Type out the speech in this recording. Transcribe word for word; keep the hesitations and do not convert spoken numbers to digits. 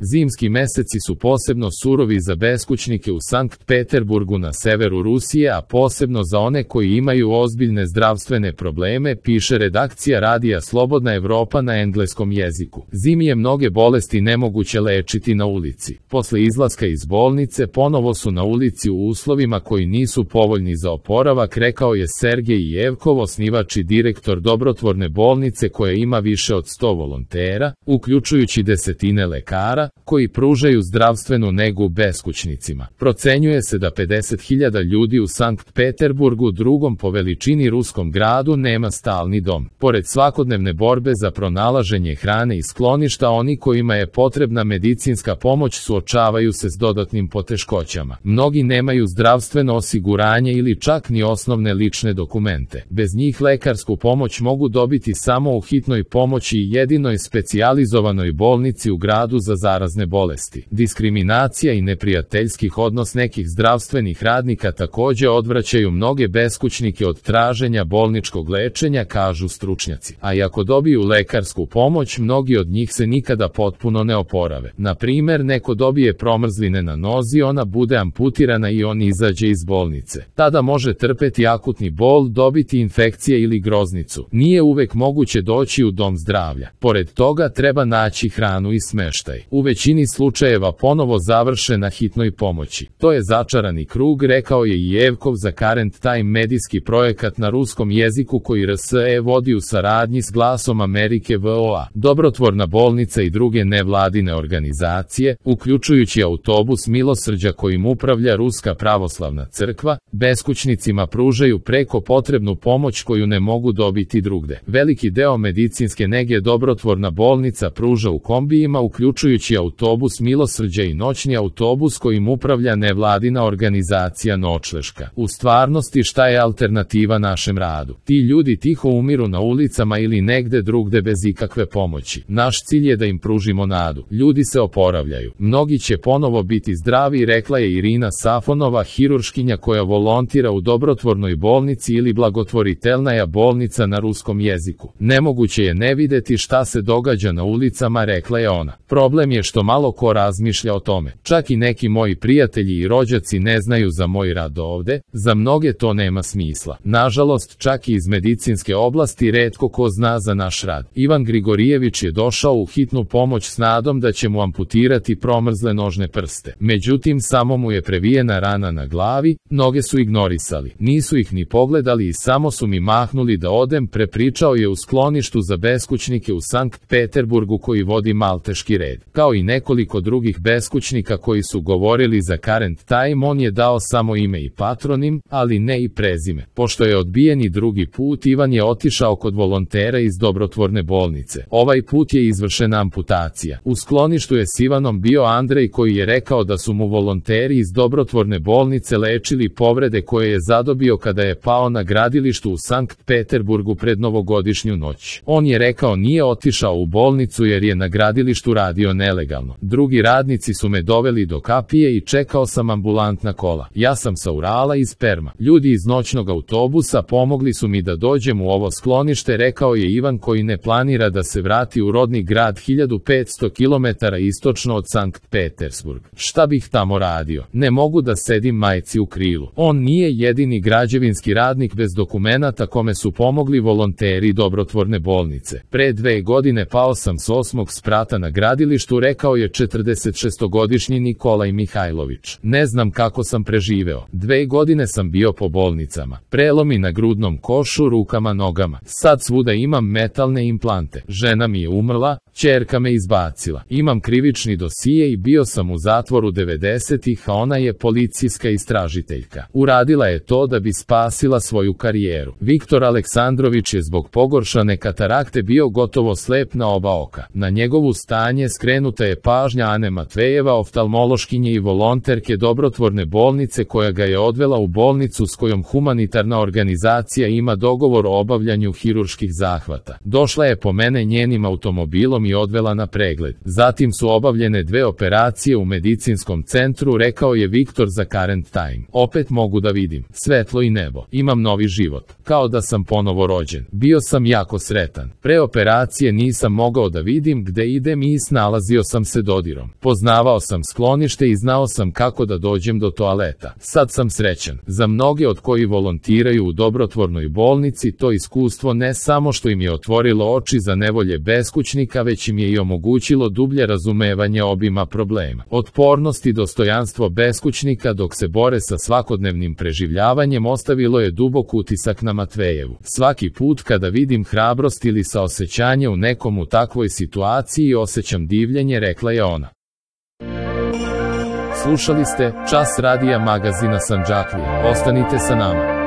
Zimski meseci su posebno surovi za beskućnike u Sankt Peterburgu na severu Rusije, a posebno za one koji imaju ozbiljne zdravstvene probleme, piše redakcija radija Slobodna Evropa na engleskom jeziku. Zimi je mnoge bolesti nemoguće lečiti na ulici. Posle izlaska iz bolnice ponovo su na ulici u uslovima koji nisu povoljni za oporavak, rekao je Sergej Jevkov, osnivač i direktor dobrotvorne bolnice koja ima više od sto volontera, uključujući desetine lekara, koji pružaju zdravstvenu negu beskućnicima. Procenjuje se da pedeset hiljada ljudi u Sankt Peterburgu, drugom po veličini ruskom gradu, nema stalni dom. Pored svakodnevne borbe za pronalaženje hrane i skloništa, oni kojima je potrebna medicinska pomoć suočavaju se s dodatnim poteškoćama. Mnogi nemaju zdravstveno osiguranje ili čak ni osnovne lične dokumente. Bez njih lekarsku pomoć mogu dobiti samo u hitnoj pomoći i jedinoj specijalizovanoj bolnici u gradu za zarazne bolesti. Diskriminacija i neprijateljskih odnos nekih zdravstvenih radnika takođe odvraćaju mnoge beskućnike od traženja bolničkog lečenja, kažu stručnjaci. A i ako dobiju lekarsku pomoć, mnogi od njih se nikada potpuno ne oporave. Na primer, neko dobije promrzline na nozi, ona bude amputirana i on izađe iz bolnice. Tada može trpeti akutni bol, dobiti infekcije ili groznicu. Nije uvek moguće doći u dom zdravlja. Pored toga treba naći hranu i smeštaj. U većini slučajeva ponovo završe na hitnoj pomoći. To je začarani krug, rekao je i Jevkov za Current Time, medijski projekat na ruskom jeziku koji R S E vodi u saradnji s Glasom Amerike V O A. Dobrotvorna bolnica i druge nevladine organizacije, uključujući autobus milosrđa kojim upravlja Ruska pravoslavna crkva, beskućnicima pružaju preko potrebnu pomoć koju ne mogu dobiti drugde. Veliki deo medicinske nege dobrotvorna bolnica pruža u kombijima, uključujući autobus milosrđa i noćni autobus kojim upravlja nevladina organizacija Noćleška. U stvarnosti, šta je alternativa našem radu? Ti ljudi tiho umiru na ulicama ili negde drugde bez ikakve pomoći. Naš cilj je da im pružimo nadu. Ljudi se oporavljaju. Mnogi će ponovo biti zdravi, rekla je Irina Safonova, hirurškinja koja volontira u dobrotvornoj bolnici ili blagotvoritelnaja bolnica na ruskom jeziku. Nemoguće je ne videti šta se događa na ulicama, rekla je ona. Problem je što malo ko razmišlja o tome. Čak i neki moji prijatelji i rođaci ne znaju za moj rad ovde, za mnoge to nema smisla. Nažalost, čak i iz medicinske oblasti retko ko zna za naš rad. Ivan Grigorijević je došao u hitnu pomoć s nadom da će mu amputirati promrzle nožne prste. Međutim, samo mu je previjena rana na glavi, noge su ignorisali. Nisu ih ni pogledali i samo su mi mahnuli da odem, prepričao je u skloništu za beskućnike u Sankt Peterburgu koji vodi Malteški red. Kao i nekoliko drugih beskućnika koji su govorili za Current Time, on je dao samo ime i patronim, ali ne i prezime. Pošto je odbijen i drugi put, Ivan je otišao kod volontera iz dobrotvorne bolnice. Ovaj put je izvršena amputacija. U skloništu je s Ivanom bio Andrej koji je rekao da su mu volonteri iz dobrotvorne bolnice lečili povrede koje je zadobio kada je pao na gradilištu u Sankt Peterburgu pred novogodišnju noć. On je rekao nije otišao u bolnicu jer je na gradilištu radio nelegalno. Drugi radnici su me doveli do kapije i čekao sam ambulantna kola. Ja sam sa Urala iz Perma. Ljudi iz noćnog autobusa pomogli su mi da dođem u ovo sklonište, rekao je Ivan koji ne planira da se vrati u rodni grad hiljadu petsto kilometara istočno od Sankt Petersburg. Šta bih tamo radio? Ne mogu da sedim majci u krilu. On nije jedini građevinski radnik bez dokumenata kome su pomogli volonteri dobrotvorne bolnice. Pre dve godine pao sam s osmog sprata na gradilištu, rekao je četrdesetšestogodišnji Nikolaj Mihajlović. Ne znam kako sam preživeo. Dve godine sam bio po bolnicama. Prelomi na grudnom košu, rukama, nogama. Sad svuda imam metalne implante. Žena mi je umrla, ćerka me izbacila. Imam krivični dosije i bio sam u zatvoru devedesetih, a ona je policijska istražiteljka. Uradila je to da bi spasila svoju karijeru. Viktor Aleksandrović je zbog pogoršane katarakte bio gotovo slep na oba oka. Na njegovu stanje skrenuta je pažnja Ane Matvejeva, oftalmološkinje i volonterke dobrotvorne bolnice koja ga je odvela u bolnicu s kojom humanitarna organizacija ima dogovor o obavljanju hirurških zahvata. Došla je po mene njenim automobilom i odvela na pregled. Zatim su obavljene dve operacije u medicinskom centru, rekao je Viktor za Current Time. Opet mogu da vidim svetlo i nebo. Imam novi život. Kao da sam ponovo rođen. Bio sam jako sretan. Pre operacije nisam mogao da vidim gde idem i snalazio sam se dodirom. Poznavao sam sklonište i znao sam kako da dođem do toaleta. Sad sam srećan. Za mnoge od koji volontiraju u dobrotvornoj bolnici to iskustvo ne samo što im je otvorilo oči za nevolje beskućnika, već im je i omogućilo dublje razumevanje obima problema. Otpornost i dostojanstvo beskućnika dok se bore sa svakodnevnim preživljavanjem ostavilo je dubok utisak na Matvejevu. Svaki put kada vidim hrabrost ili saosećanje u nekom u takvoj situaciji osjećam divljenje, rekla je ona. Slušali ste Čas radija magazina Sandžaklije. Ostanite sa nama.